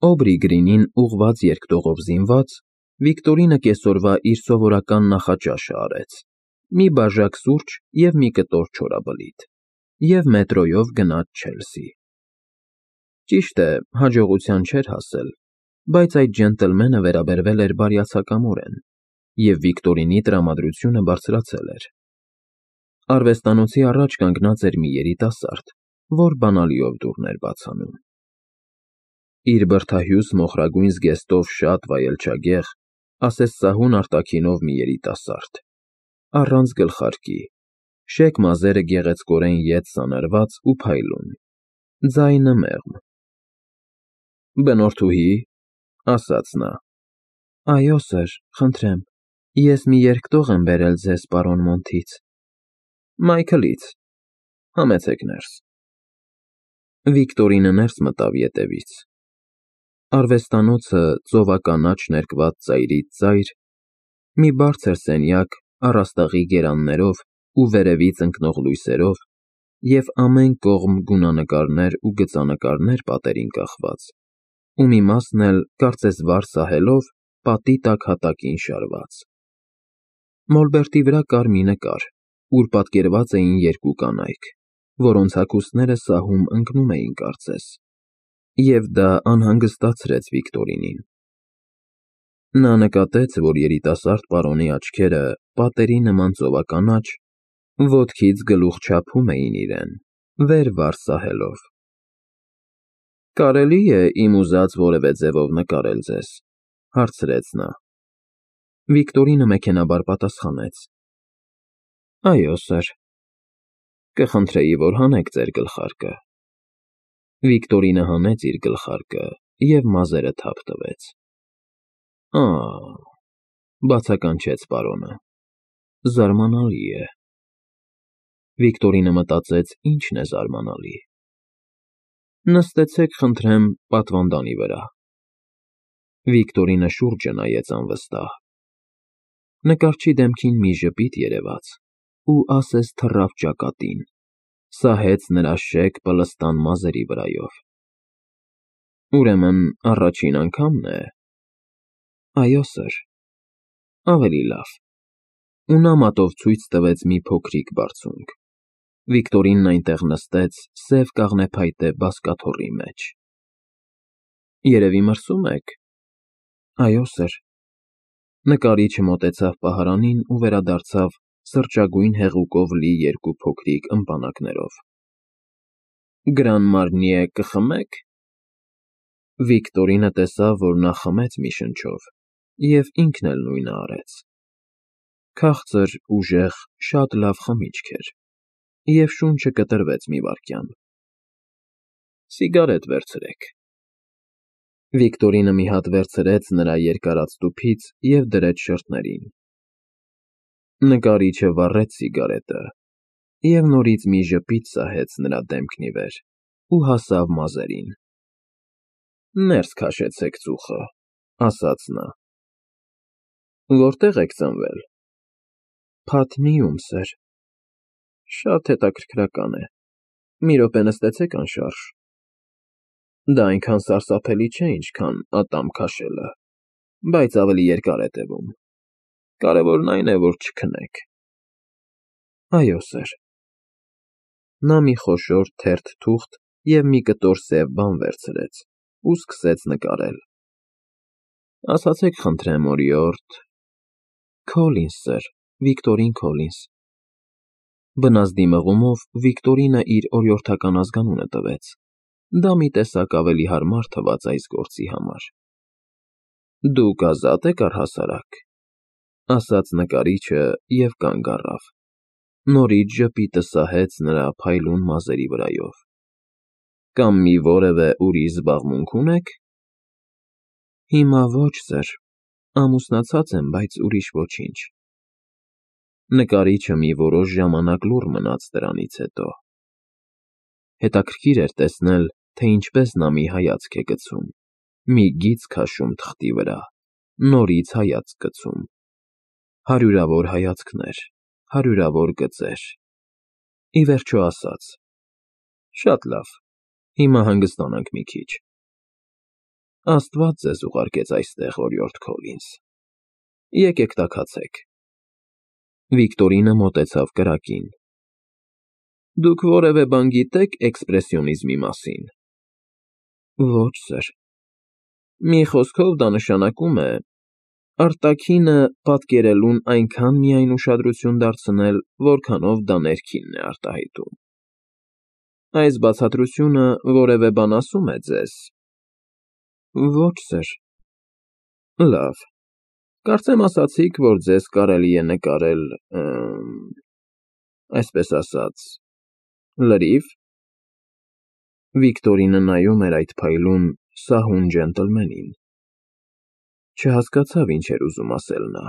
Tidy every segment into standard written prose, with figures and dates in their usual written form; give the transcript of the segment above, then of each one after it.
Օբրի Գրինին ուղղված երկտողով զինված, Վիկտորինը կեսօրվա իր սովորական նախաճաշը արեց. մի բաժակ սուրճ և մի կտոր չորաբլիթ, և մետրոյով գնաց Չելսի։ Ճիշտ է, հաջողության չէր հասել, բայց այդ ջենտլմենը վերաբերվել էր բարյացակամորեն, և Վիկտորինի տրամադրությունը բարձրացել էր։ Արվեստանոցի առաջ կանգնած էր մի երիտասարդ, որ բանալիով դուռն էր բաց անում։ Իր բրդահյուս մոխրագույն զգեստով շատ վայելչագեղ, ասես սահուն արտաքինով մի երիտասարդ, առանց գլխարկի, շեկ մազերը գեղեցկորեն ետ սանրված ու փայլուն, ձայնը մեղմ։ Բնորդուհի՞, ասաց նա։ Այո, սըր, խնդրեմ, ես մի երկտող եմ բերել ձեզ պարոն Մոնթից։ Մայքլից, համեցեք ներս։ Վիկտորինը ներս մտավ ետևից։ Արվեստանոցը ծովականաչ ներկված ծայրից ծայր, մի բարձր սենյակ առաստաղի գերաններով ու վերևից ընկնող լույսերով և ամեն կողմ գունանկարներ ու գծանկարներ պատերին կախված, ու մի մասն էլ, կարծես վար սահելով, պատի տակ հատակին շարված։ Մոլբերտի վրա կար մի նկար, ուր պատկերված էին երկու կանայք, որոնց հագուստները սահում ընկնում էին կարծես, և դա անհանգստացրեց Վիկտորինին։ Նա նկատեց, որ երիտասարդ պարոնի աչքերը, պատերի նման ծովականաչ, ոտքից գլուխ չափում էին իրեն, վեր վար սահելով։ Կարելի՞ է իմ ուզած որևէ ձևով նկարել ձեզ, հարցրեց նա։ Վիկտորինը մեքենայաբար պատասխանեց. Այո, սըր։ Կխնդրեի, որ հանեք ձեր գլխարկը։ Վիկտորինը հանեց իր գլխարկը և մազերը թափ տվեց։ Բացականչեց պարոնը, զարմանալի է։ Վիկտորինը մտածեց, ինչն է զարմանալի։ Նստեցեք, խնդրեմ, պատվանդանի վրա։ Վիկտորինը շուրջը նայեց անվստահ։ Նկարչի դեմքին մի ժպիտ երևաց ու ասես թռավ ճակատին, սահեց նրա շեկ պլստան մազերի վրայով։ Ուրեմն առաջին անգամն է։ Այո, սըր։ Ավելի լավ։ Ու նա մատով ցույց տվեց մի փոքրիկ բարձունք։ Վիկտորինն այնտեղ նստեց սև կաղնեփայտե բազկաթոռի մեջ։ Երևի մրսում եք։ Այո, սըր։ Նկարիչը մոտեցավ պահարանին ու վերադարձավ սրճագույն հեղուկով լի երկու փոքրիկ ըմպանակներով։ Գրան Մարնիե կխմե՞ք։ Վիկտորինը տեսավ, որ նա խմեց մի շնչով, և ինքն էլ նույնը արեց։ Քաղցր, ուժեղ, շատ լավ խմիչք էր, և շունչը կտրվեց մի վայրկյան։ Սիգարետ վերցրեք։ Վիկտորինը մի հատ վերցրեց նրա երկարած տուփից և դրեց շրթներին։ Նկարիչը վառեց սիգարետը և նորից մի ժպիտ սահեց նրա դեմքն ի վեր ու հասավ մազերին։ Ներս քաշեցեք ծուխը, ասաց նա։ Որտե՞ղ եք ծնվել։ Փատնիում, սըր։ Շատ հետաքրքրական է։ Մի րոպե նստեցեք անշարժ։ Դա այնքան սարսափելի չէ, ինչքան ատամ քաշելը, բայց ավելի երկար է տևում։ Կարևորն այն է, որ չքնեք։ Այո, սըր։ Նա մի խոշոր թերթ թուղթ և մի կտոր սև բան վերցրեց ու սկսեց նկարել։ Ասացեք, խնդրեմ, օրիորդ։ Քոլինս, սըր, Վիկտորին Քոլինս։ Բնազդի մղումով Վիկտորինը իր օրիորդական ազգանունը տվեց։ Դա մի տեսակ ավելի հարմար թվաց այս գործի համար։ Դուք ազատ եք առհասարակ, ասաց նկարիչը և կանգ առավ։ Նորից ժպիտը սահեց նրա փայլուն մազերի վրայով։ Կամ մի որևէ ուրիշ զբաղմունք ունե՞ք։ Հիմա ոչ, սըր, ամուսնացած եմ, բայց ուրիշ ոչինչ։ Նկարիչը մի որոշ ժամանակ լուռ մնաց դրանից հետո։ Հետաքրքիր էր տեսնել, թե ինչպես նա մի հայացք է գցում, մի գիծ քաշում թղթի վրա, նորից հայացք գցում։ Հարյուրավոր հայացքներ, հարյուրավոր գծեր։ Ի վերջո ասաց. Շատ լավ, հիմա հանգստանանք մի քիչ։ Աստված ձեզ ուղարկեց այստեղ, օրիորդ Քոլինս։ Եկեք տաքացեք։ Վիկտորինը մոտեցավ կրակին։ Դուք որևէ բան գիտեք էքսպրեսիոնիզմի մասին։ Ոչ, սըր։ Մի խոսքով դա նշանակում է արտաքինը պատկերելուն այնքան միայն ուշադրություն դարձնել, որքանով դա ներքինն է արտահայտում։ Այս բացատրությունը որևէ բան ասում է ձեզ։ Ոչ, սըր։ Լավ։ Կարծեմ ասացիք, որ ձեզ կարելի է նկարել, այսպես ասած, լրիվ։ Վիկտորինը նայում էր այդ փայլուն, սահուն ջենտլմենին։ Չհասկացավ ինչ էր ուզում ասել նա,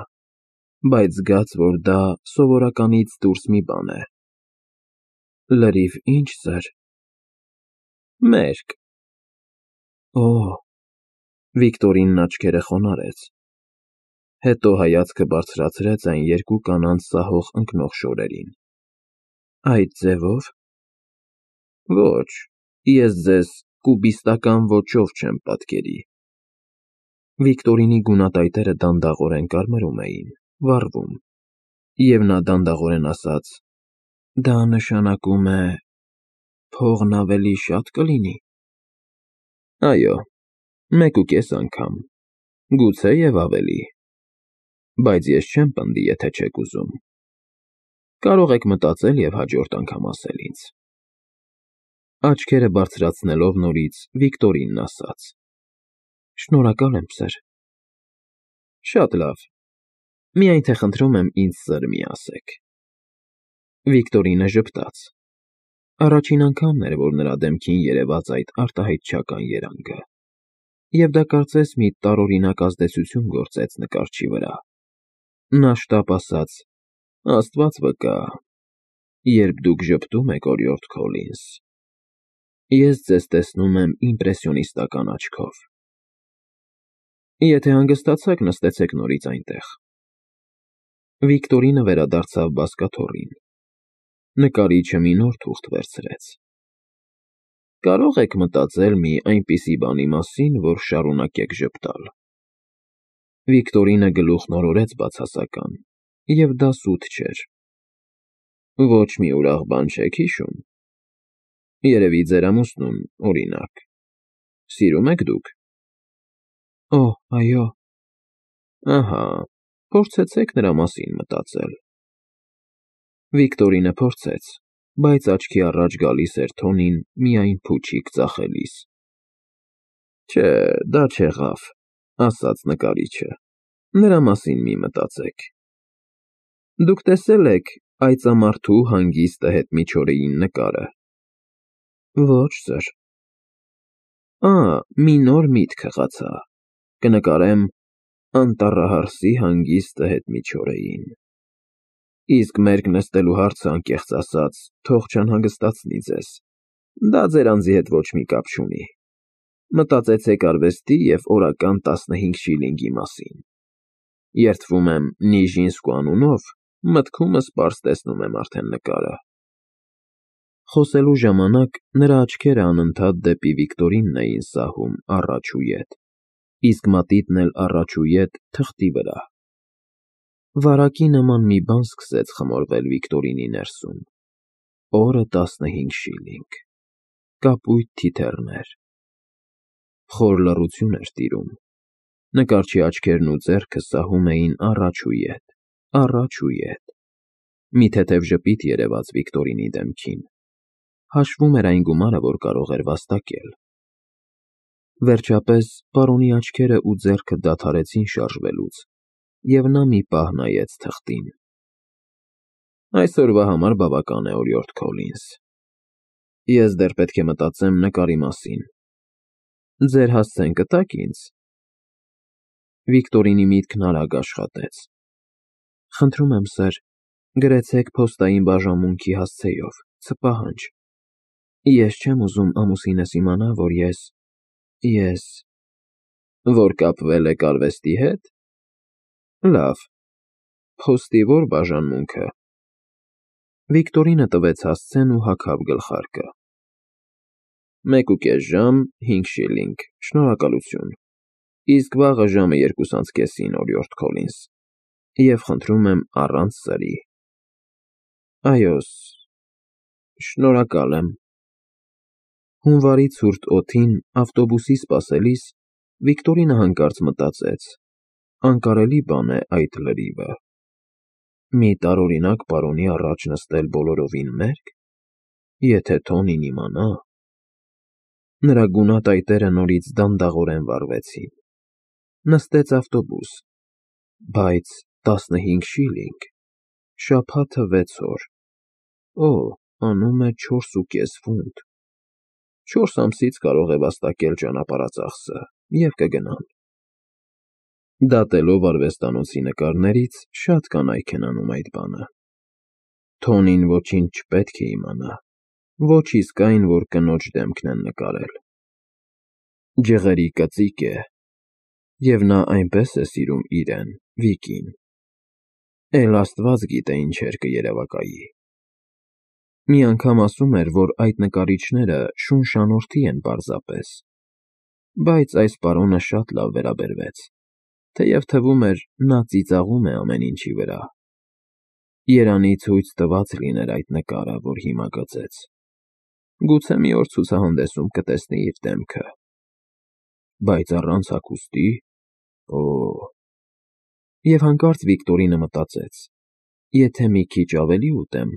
բայց զգաց, որ դա սովորականից դուրս մի բան է։ Լրիվ ինչ, սըր։ Մերկ։ Օ, Վիկտորինն աչքերը խոնարհեց։ Հետո հայացքը բարձրացրեց այն երկու կանանց սահող ընկնող շորերին։ Այդ ձևո՞վ։ Ոչ, ես ձեզ կուբիստական ոճով չեմ պատկերի։ Վիկտորինի գունատայտերը դանդաղորեն կարմրում էին, վառվում, և նա դանդաղորեն ասաց. Դա նշանակում է փողն ավելի շատ կլինի։ Այո, 1.5 անգամ, գուցե և ավելի, բայց ես չեմ պնդի, եթե չեք ուզում։ Կարող եք մտածել և հաջորդ անգամ ասել ինձ։ Աչքերը բարձրացնելով նորից Վիկտորինն ասաց. Շնորհակալ եմ, սըր։ Շատ լավ, միայն թե խնդրում եմ ինձ սըր մի ասեք։ Վիկտորինը ժպտաց։ Առաջին անգամն էր, որ նրա դեմքին երևաց այդ արտահայտչական երանգը, և դա կարծես մի տարօրինակ ազդեցություն գործեց նկարչի վրա։ Նա շտապ ասաց. Աստված վկա, երբ դուք ժպտում եք, օրիորդ Քոլինս, ես ձեզ տեսնում եմ իմպրեսիոնիստական աչքով։ Եթե հանգստացաք, նստեցեք նորից այնտեղ։ Վիկտորինը վերադարձավ բազկաթոռին։ Նկարիչը մի նոր թուղթ վերցրեց։ Կարող եք մտածել մի այնպիսի բանի մասին, որ շարունակեք ժպտալ։ Վիկտորինը գլուխն օրորեց բացասական, և դա սուտ չէր։ Ոչ մի ուրախ բան չեք հիշում։ Երևի ձեր ամուսնուն, օրինակ։ Սիրում եք դուք։ Օ, այո։ Ահա, փորձեցեք նրա մասին մտածել։ Վիկտորինը փորձեց, բայց աչքի առաջ գալիս էր թոնին միայն փուչիկ ծախելիս։ Չէ, դա չեղավ, ասաց նկարիչը, նրա մասին մի մտածեք։ Դուք տեսել եք այծամարդու հանգիստ հետմիջօրեին նկարը։ Ոչ, սըր։ Մի նոր միտք հղացա, կնկարեմ անտառահարսի հանգիստ հետմիջօրեին։ Իսկ մերկ նստելու հարցը, անկեղծ ասած, թող չանհանգստացնի ձեզ, դա ձեր անձի հետ ոչ մի կապ չունի։ Մտածեցեք արվեստի և օրական 15 շիլինգի մասին։ Երդվում եմ Նիժինսկու անունով, մտքումս պարզ տեսնում եմ արդեն նկարը։ Խոսելու ժամանակ նրա աչքերը անընդհատ դեպի Վիկտորինն էին սահում առաջ ու ետ, իսկ մատիտն էլ առաջ ու ետ թղթի վրա։ Վարակի նման մի բան սկսեց խմորվել Վիկտորինի ներսում։ Օրը 15 շիլինգ։ Կապույտ թիթեռներ։ Խոր լռություն էր տիրում։ Նկարչի աչքերն ու ձեռքը սահում էին առաջ ու ետ, առաջ ու ետ։ Մի թեթև ժպիտ երևաց Վիկտորինի դեմքին։ Հաշվում էր այն գումարը, որ կարող էր վաստակել։ Վերջապես պարոնի աչքերը ու ձեռքը դադարեցին շարժվելուց, և նա մի պահ նայեց թղթին։ Այսօրվա համար բավական է, օրիորդ Քոլինս։ Ես դեռ պետք է մտածեմ նկարի մասին։ Ձեր հասցեն կտա՞ք ինձ։ Վիկտորինի միտքն արագ աշխատեց։ Խնդրում եմ, սըր, գրեցեք փոստային բաժանմունքի հասցեով, ցպահանջ։ Ես չեմ ուզում ամուսինս իմանա, որ ես… Որ կապվել եք արվեստի հետ։ Լավ, փոստի ո՞ր բաժանմունքը։ Վիկտորինը տվեց հասցեն ու հագավ գլխարկը։ 1.5 ժամ, 5 շիլինգ, շնորհակալություն։ Իսկ վաղը ժամը 2:30-ին, օրիորդ Քոլինս, և խնդրում եմ առանց սրի։ Այո, շնորհակալ եմ։ Հունվարի ցուրտ օդին ավտոբուսի սպասելիս Վիկտորինը հանկարծ մտածեց. անկարելի բան է այդ լրիվը։ Մի տարօրինակ պարոնի առաջ նստել բոլորովին մերկ, եթե Թոնին իմանա… Նրա գունատայտերը նորից դանդաղորեն վառվեցին։ Նստեց ավտոբուս, բայց 15 շիլինգ, շաբաթը 6 օր, անում է 4.5 ֆունտ։ 4 ամսից կարող է վաստակել ճանապարհածախսը և կգնան։ Դատելով արվեստանոցի նկարներից, շատ կանայք են անում այդ բանը։ Թոնին ոչինչ չպետք է իմանա, ոչ իսկ այն, որ կնոջ դեմքն են նկարել։ Ջղերի կծիկ է, և նա այնպես է սիրում իրեն, Վիկին, էլ Աստված գիտե ինչեր կերևակայի։ Մի անգամ ասում էր, որ այդ նկարիչները շունշանորթի են պարզապես, բայց այս պարոնը շատ լավ վերաբերվեց, թեև թվում էր, նա ծիծաղում է ամեն ինչի վրա։ Երանի ցույց տված լիներ այդ նկարը, որ հիմա գծեց։ Գուցե մի օր ցուցահանդեսում կտեսնի իր դեմքը։ Բայց առանց հագուստի… Եվ հանկարծ Վիկտորինը մտածեց. եթե մի քիչ ավելի ուտեմ,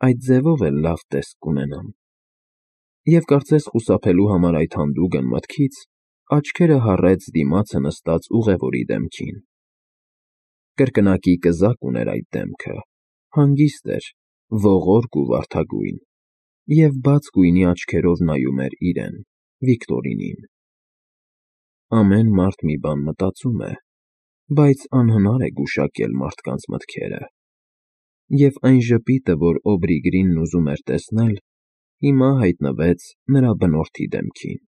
այդ ձևով էլ լավ տեսք կունենամ։ Եվ կարծես խուսափելու համար այդ հանդուգն մտքից, աչքերը հառեց դիմացը նստած ուղևորի դեմքին։ Կրկնակի կզակ ուներ այդ դեմքը, հանգիստ էր, ողորկ ու վարդագույն, և բաց գույնի աչքերով նայում էր իրեն, Վիկտորինին։ Ամեն մարդ մի բան մտածում է, բայց անհնար է գուշակել մարդկանց մտքերը։ Եվ այն ժպիտը, որ Օբրիգրինն ուզում էր տեսնել, հիմա հայտնվեց նրա բնորդի դեմքին։